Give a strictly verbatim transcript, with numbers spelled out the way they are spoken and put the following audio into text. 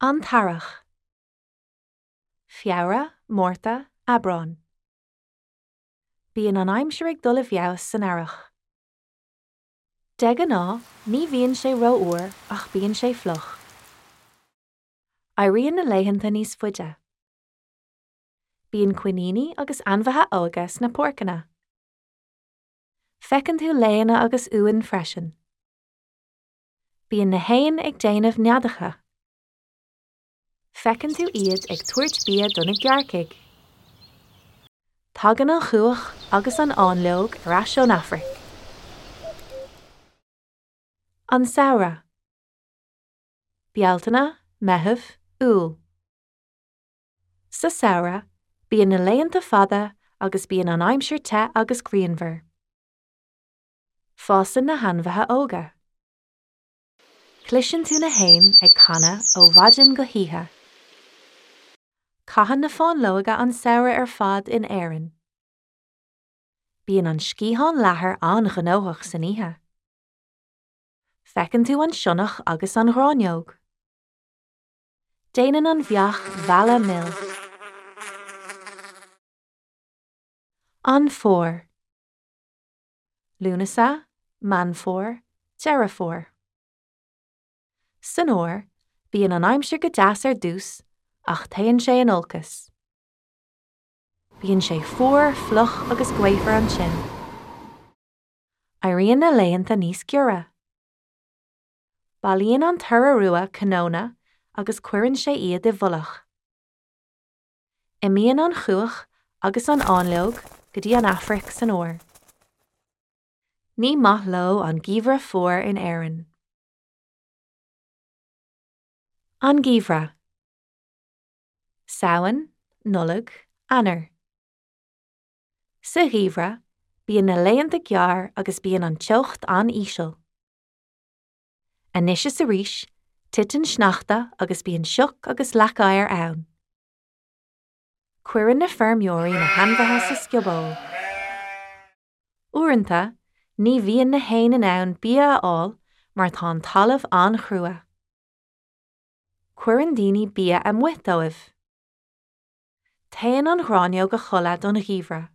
An tEarrach. Feabhra, Márta, Aibreán. Bíonn an aimsir ag dul i bhfeabhas san earrach. De ghnáth, ní bhíonn sé rófhuar ach bíonn sé fliuch. Éiríonn na laethanta níos faide. Bíonn coiníní agus ainmhithe óga sna páirceanna. Feiceann tú laonna agus uain freisin. Bíonn na héin ag déanamh neadacha. Feiceann tú iad ag tabhairt bia do na gearrcaigh. Tagann an chuach agus an fháinleog ar ais ón Afraic. An Samhradh. Bealtaine, Meitheamh, Iúil. Sa samhradh, bíonn na laethanta fada agus bíonn an aimsir te agus grianmhar. Fásann na hainmhithe óga. Cloiseann tú na héin ag canadh ó mhaidin go hoíche. Caitheann na fáinleoga an samhradh ar fad in Éirinn. Bíonn an sciathán leathair an-ghnóthach san oíche. Feiceann tú an sionnach agus an ghráinneog. Déanann an bheach mheala mil. An Fómhar. Lúnasa, Meán Fómhair, Deireadh Fómhair. San fhómhar, bíonn an aimsir go deas ar dtús ach téann sé in olcas. Bíonn sé fuar, fliuch agus gaofar ansin. Éiríonn na laethanta níos giorra. Bailíonn an t-iora rua cnónna agus cuireann sé iad i bhfolach. Imíonn an chuach agus an fháinleog go dtí an Afraic san fhómhar. Ní maith leo an geimhreadh fuar in Éirinn. An Geimhreadh. Samhain, Nollaig, Eanáir. Sa gheimhreadh, bíonn na laethanta gearr agus bíonn an teocht an-íseal. Anois is arís, titeann sneachta agus bíonn sioc agus leac oighir ann. Cuireann na feirmeoirí na hainmhithe sa scioból. Uaireanta, ní bhíonn na héin in ann bia a fháil mar tá an talamh an-chrua. Cuireann daoine bia amuigh dóibh. Téann an ghráinneog a chodladh don gheimhreadh.